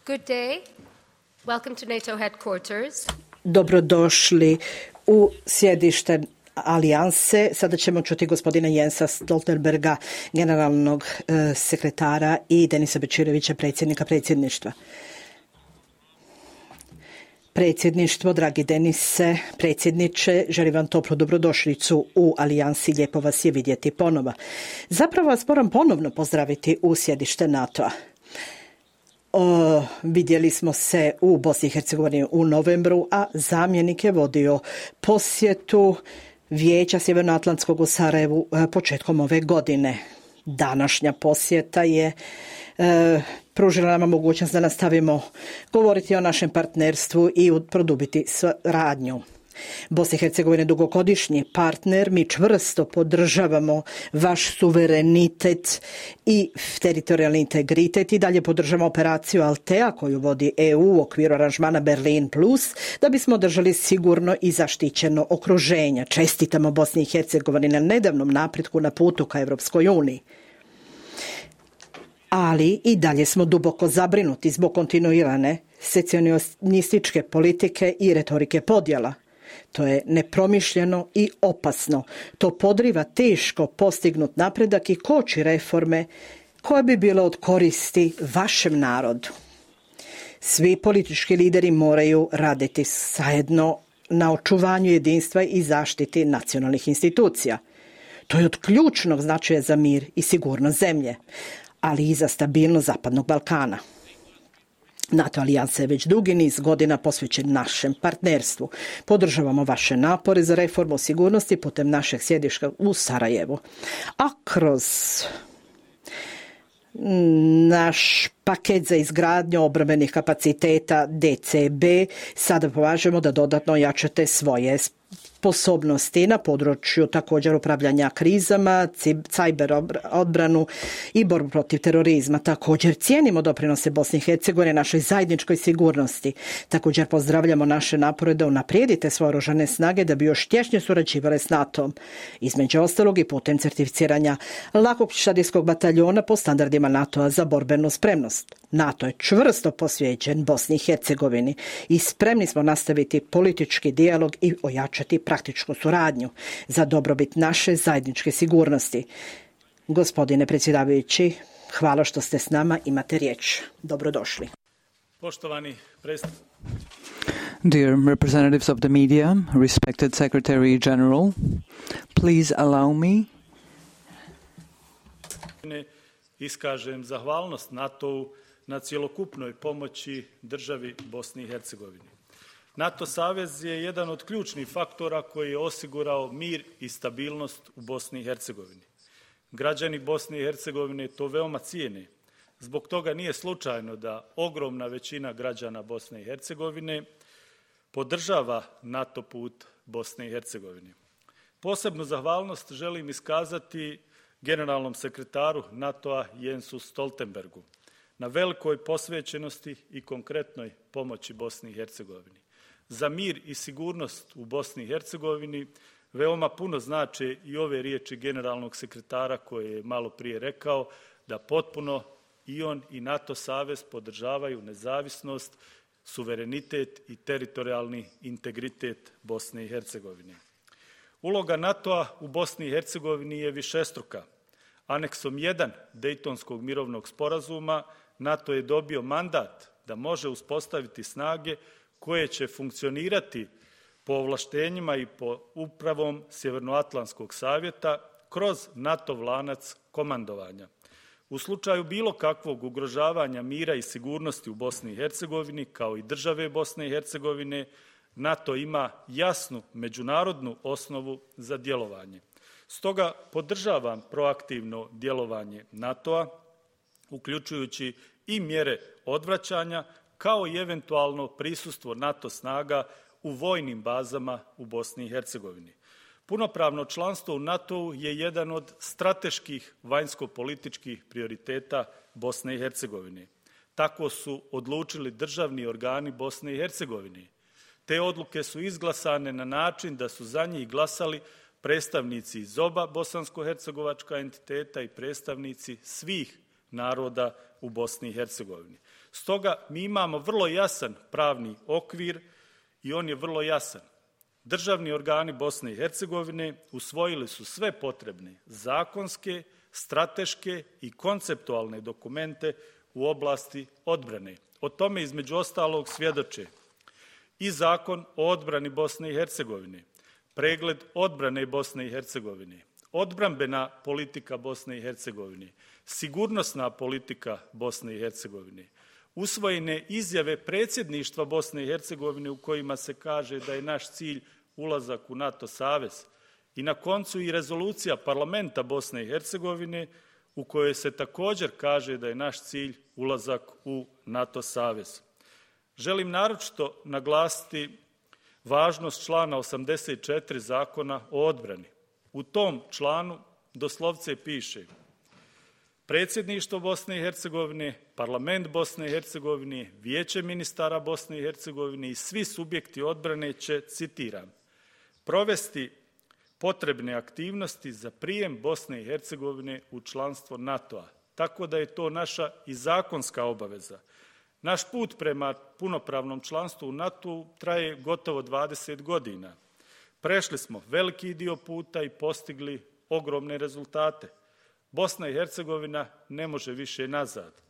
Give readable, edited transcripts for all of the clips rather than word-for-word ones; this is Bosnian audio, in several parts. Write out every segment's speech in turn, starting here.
Good day. Welcome to NATO headquarters. Dobrodošli u sjedište Alijanse. Sada ćemo čuti gospodina Jensa Stoltenberga, generalnog sekretara, i Denisa Bečirovića, predsjednika predsjedništva. Predsjedništvo, dragi Denise, predsjedniče, želim vam toplu dobrodošlicu u Alijansi, lijepo vas je vidjeti ponova. Zapravo vas moram ponovno pozdraviti u sjedište NATO-a. Vidjeli smo se u Bosni i Hercegovini u novembru, a zamjenik je vodio posjetu Vijeća Sjevernoatlantskog u Sarajevu početkom ove godine. Današnja posjeta je pružila nama mogućnost da nastavimo govoriti o našem partnerstvu i produbiti suradnju. Bosna i Hercegovina je dugogodišnji partner, mi čvrsto podržavamo vaš suverenitet i teritorijalni integritet i dalje podržavamo operaciju Altea koju vodi EU u okviru aranžmana Berlin Plus da bismo držali sigurno i zaštićeno okruženje. Čestitamo Bosni i Hercegovini na nedavnom napretku na putu ka Evropskoj uniji. Ali i dalje smo duboko zabrinuti zbog kontinuirane secesionističke politike i retorike podjela. To je nepromišljeno i opasno. To podriva teško postignut napredak i koči reforme koje bi bile od koristi vašem narodu. Svi politički lideri moraju raditi zajedno na očuvanju jedinstva i zaštiti nacionalnih institucija. To je od ključnog značaja za mir i sigurnost zemlje, ali i za stabilnost Zapadnog Balkana. NATO alijansa je već dugi niz godina posvećen našem partnerstvu. Podržavamo vaše napore za reformu sigurnosti putem našeg sjedišta u Sarajevu. A kroz naš paket za izgradnju obrambenih kapaciteta DCB sada pomažemo da dodatno ojačate svoje sposobnosti na području također upravljanja krizama, cyber odbranu i borbu protiv terorizma. Također cijenimo doprinose Bosne i Hercegovine našoj zajedničkoj sigurnosti. Također pozdravljamo naše napore da unaprijedite svoje oružane snage da bi još tješnje surađivale s NATO-om. Između ostalog i putem certificiranja lakog pješadijskog bataljona po standardima NATO-a za borbenu spremnost. NATO je čvrsto posvećen Bosni i Hercegovini i spremni smo nastaviti politički dijalog i ojačati praktičku suradnju za dobrobit naše zajedničke sigurnosti. Gospodine predsjedavajući, hvala što ste s nama, imate riječ. Dobrodošli. Poštovani predsjedniče. Dear representatives of the media, respected Secretary General, please allow me iskažem zahvalnost NATO-u na cjelokupnoj pomoći državi Bosni i Hercegovini. NATO savez je jedan od ključnih faktora koji je osigurao mir i stabilnost u Bosni i Hercegovini. Građani Bosne i Hercegovine to veoma cijene. Zbog toga nije slučajno da ogromna većina građana Bosne i Hercegovine podržava NATO put Bosne i Hercegovine. Posebnu zahvalnost želim iskazati generalnom sekretaru NATO-a Jensu Stoltenbergu na velikoj posvećenosti i konkretnoj pomoći Bosni i Hercegovini. Za mir i sigurnost u Bosni i Hercegovini veoma puno znače i ove riječi generalnog sekretara koje je malo prije rekao da potpuno i on i NATO savez podržavaju nezavisnost, suverenitet i teritorijalni integritet Bosne i Hercegovine. Uloga NATO-a u Bosni i Hercegovini je višestruka. Aneksom 1 Dejtonskog mirovnog sporazuma NATO je dobio mandat da može uspostaviti snage koje će funkcionirati po ovlaštenjima i po upravom Sjevernoatlantskog savjeta kroz NATO lanac komandovanja. U slučaju bilo kakvog ugrožavanja mira i sigurnosti u Bosni i Hercegovini, kao i države Bosne i Hercegovine, NATO ima jasnu međunarodnu osnovu za djelovanje. Stoga podržavam proaktivno djelovanje NATO-a, uključujući i mjere odvraćanja, kao i eventualno prisustvo NATO snaga u vojnim bazama u Bosni i Hercegovini. Punopravno članstvo u NATO-u je jedan od strateških vanjsko-političkih prioriteta Bosne i Hercegovine. Tako su odlučili državni organi Bosne i Hercegovine. Te odluke su izglasane na način da su za njih glasali predstavnici iz oba bosansko-hercegovačka entiteta i predstavnici svih naroda u Bosni i Hercegovini. Stoga mi imamo vrlo jasan pravni okvir i on je vrlo jasan. Državni organi Bosne i Hercegovine usvojili su sve potrebne zakonske, strateške i konceptualne dokumente u oblasti odbrane. O tome između ostalog svjedoče i Zakon o odbrani Bosne i Hercegovine, pregled odbrane Bosne i Hercegovine, odbrambena politika Bosne i Hercegovine, sigurnosna politika Bosne i Hercegovine, usvojene izjave predsjedništva Bosne i Hercegovine u kojima se kaže da je naš cilj ulazak u NATO savez i na koncu i rezolucija parlamenta Bosne i Hercegovine u kojoj se također kaže da je naš cilj ulazak u NATO savez. Želim naročito naglasiti važnost člana 84 Zakona o odbrani. U tom članu doslovce piše: Predsjedništvo Bosne i Hercegovine, Parlament Bosne i Hercegovine, Vijeće ministara Bosne i Hercegovine i svi subjekti odbrane će, citiram, provesti potrebne aktivnosti za prijem Bosne i Hercegovine u članstvo NATO-a. Tako da je to naša i zakonska obaveza. Naš put prema punopravnom članstvu u NATO traje gotovo 20 godina. Prešli smo veliki dio puta i postigli ogromne rezultate. Bosna i Hercegovina ne može više nazad.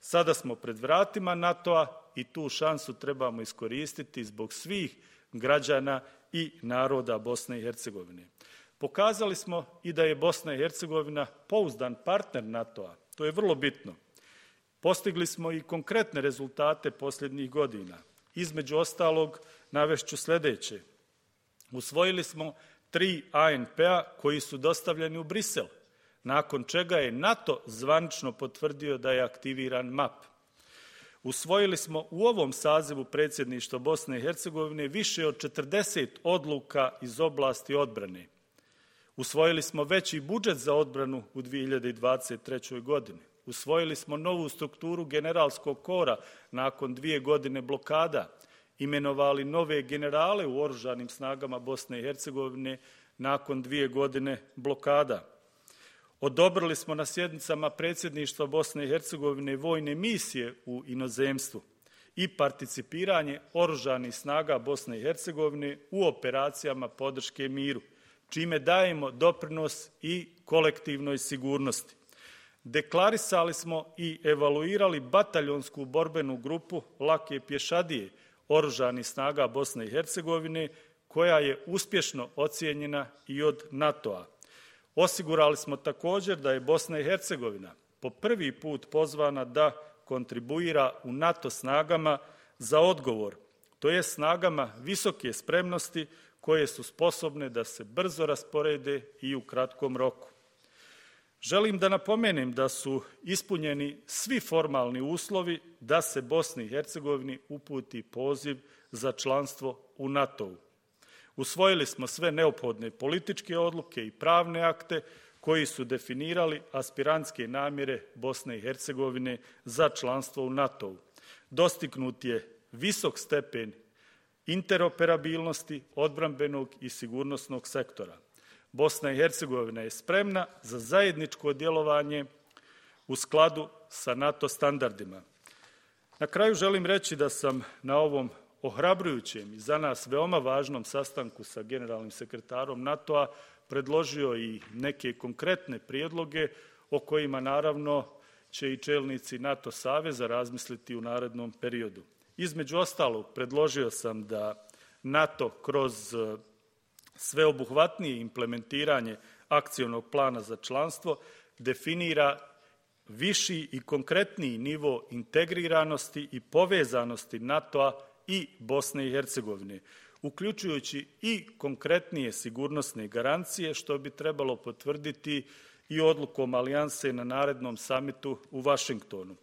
Sada smo pred vratima NATO-a i tu šansu trebamo iskoristiti zbog svih građana i naroda Bosne i Hercegovine. Pokazali smo i da je Bosna i Hercegovina pouzdan partner NATO-a. To je vrlo bitno. Postigli smo i konkretne rezultate posljednjih godina. Između ostalog, navešću sljedeće. Usvojili smo 3 ANP-a koji su dostavljeni u Brisel, nakon čega je NATO zvanično potvrdio da je aktiviran MAP. Usvojili smo u ovom sazivu predsjedništva Bosne i Hercegovine više od 40 odluka iz oblasti odbrane. Usvojili smo veći budžet za odbranu u 2023. godini. Usvojili smo novu strukturu generalskog kora nakon 2 godine blokada. Imenovali nove generale u oružanim snagama Bosne i Hercegovine nakon 2 godine blokada. Odobrili smo na sjednicama predsjedništva Bosne i Hercegovine vojne misije u inozemstvu i participiranje oružanih snaga Bosne i Hercegovine u operacijama podrške miru, čime dajemo doprinos i kolektivnoj sigurnosti. Deklarisali smo i evaluirali bataljonsku borbenu grupu lake pješadije oružanih snaga Bosne i Hercegovine, koja je uspješno ocijenjena i od NATO-a. Osigurali smo također da je Bosna i Hercegovina po prvi put pozvana da kontribuira u NATO snagama za odgovor, to je snagama visoke spremnosti koje su sposobne da se brzo rasporede i u kratkom roku. Želim da napomenem da su ispunjeni svi formalni uslovi da se Bosni i Hercegovini uputi poziv za članstvo u NATO-u. Usvojili smo sve neophodne političke odluke i pravne akte koji su definirali aspirantske namjere Bosne i Hercegovine za članstvo u NATO-u. Dostignut je visok stepen interoperabilnosti odbrambenog i sigurnosnog sektora. Bosna i Hercegovina je spremna za zajedničko djelovanje u skladu sa NATO standardima. Na kraju želim reći da sam na ovom ohrabrujućem i za nas veoma važnom sastanku sa generalnim sekretarom NATO-a predložio i neke konkretne prijedloge o kojima naravno će i čelnici NATO saveza razmisliti u narednom periodu. Između ostalog, predložio sam da NATO kroz sveobuhvatnije implementiranje akcionog plana za članstvo definira viši i konkretniji nivo integriranosti i povezanosti NATO-a i Bosne i Hercegovine, uključujući i konkretnije sigurnosne garancije, što bi trebalo potvrditi i odlukom alijanse na narednom samitu u Vašingtonu.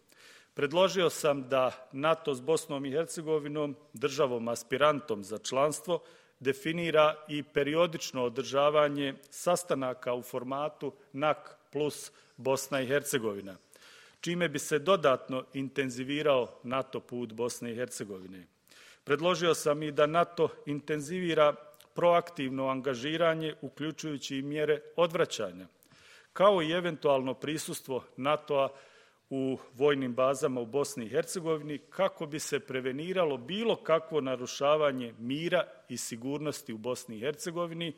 Predložio sam da NATO s Bosnom i Hercegovinom, državom aspirantom za članstvo, definira i periodično održavanje sastanaka u formatu NAC plus Bosna i Hercegovina, čime bi se dodatno intenzivirao NATO put Bosne i Hercegovine. Predložio sam i da NATO intenzivira proaktivno angažiranje, uključujući i mjere odvraćanja, kao i eventualno prisustvo NATO-a u vojnim bazama u Bosni i Hercegovini kako bi se preveniralo bilo kakvo narušavanje mira i sigurnosti u Bosni i Hercegovini,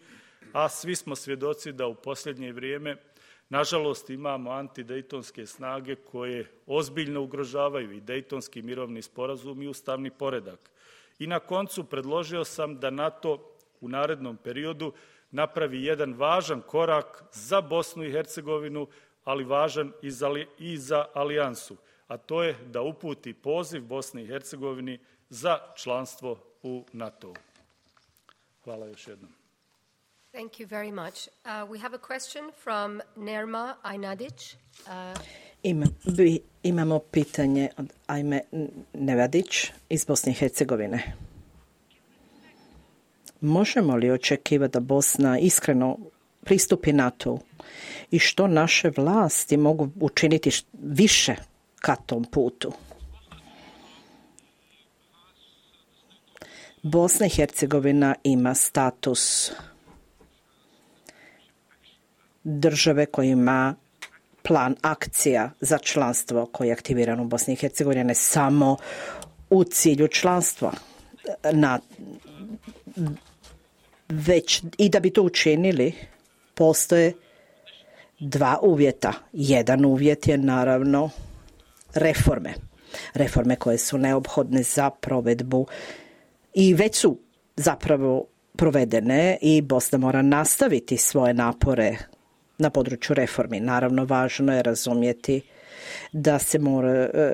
a svi smo svjedoci da u posljednje vrijeme, nažalost, imamo antidejtonske snage koje ozbiljno ugrožavaju i dejtonski mirovni sporazum i ustavni poredak. I na koncu predložio sam da NATO u narednom periodu napravi jedan važan korak za Bosnu i Hercegovinu, ali važan i za alijansu, a to je da uputi poziv Bosni i Hercegovini za članstvo u NATO-u. Hvala još jednom. Thank you very much. We have a question from Nerma Ajnadić. Imamo pitanje od Ajme Nevadić iz Bosne i Hercegovine. Možemo li očekivati da Bosna iskreno pristupi NATO i što naše vlasti mogu učiniti više ka tom putu? Bosna i Hercegovina ima status države koja ima plan akcija za članstvo koji je aktiviran u Bosni i Hercegovini, ne samo u cilju članstva, već i da bi to učinili postoje dva uvjeta. Jedan uvjet je naravno reforme koje su neophodne za provedbu i već su zapravo provedene i Bosna mora nastaviti svoje napore na području reformi. Naravno, važno je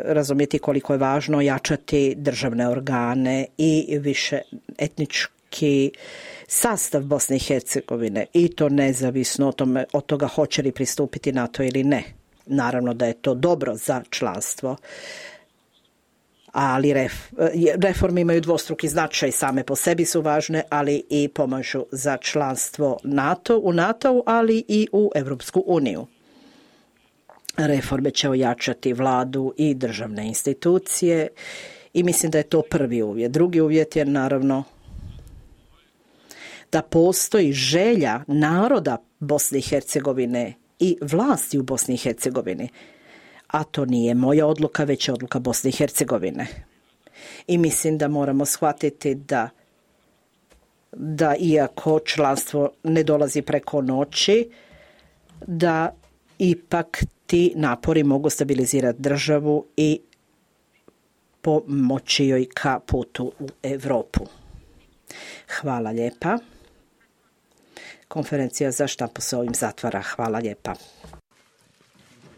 razumjeti koliko je važno jačati državne organe i više etnički sastav Bosne i Hercegovine i to nezavisno od toga hoće li pristupiti NATO ili ne. Naravno da je to dobro za članstvo, ali reforme imaju dvostruki značaj, same po sebi su važne, ali i pomažu za članstvo u NATO, ali i u Europsku uniju. Reforme će ojačati vladu i državne institucije i mislim da je to prvi uvjet. Drugi uvjet je naravno da postoji želja naroda Bosne i Hercegovine i vlasti u Bosni i Hercegovini. A to nije moja odluka, već je odluka Bosne i Hercegovine. I mislim da moramo shvatiti da iako članstvo ne dolazi preko noći, da ipak ti napori mogu stabilizirati državu i pomoći joj ka putu u Europu. Hvala lijepa. Konferencija za štampu se ovim zatvara. Hvala lijepa.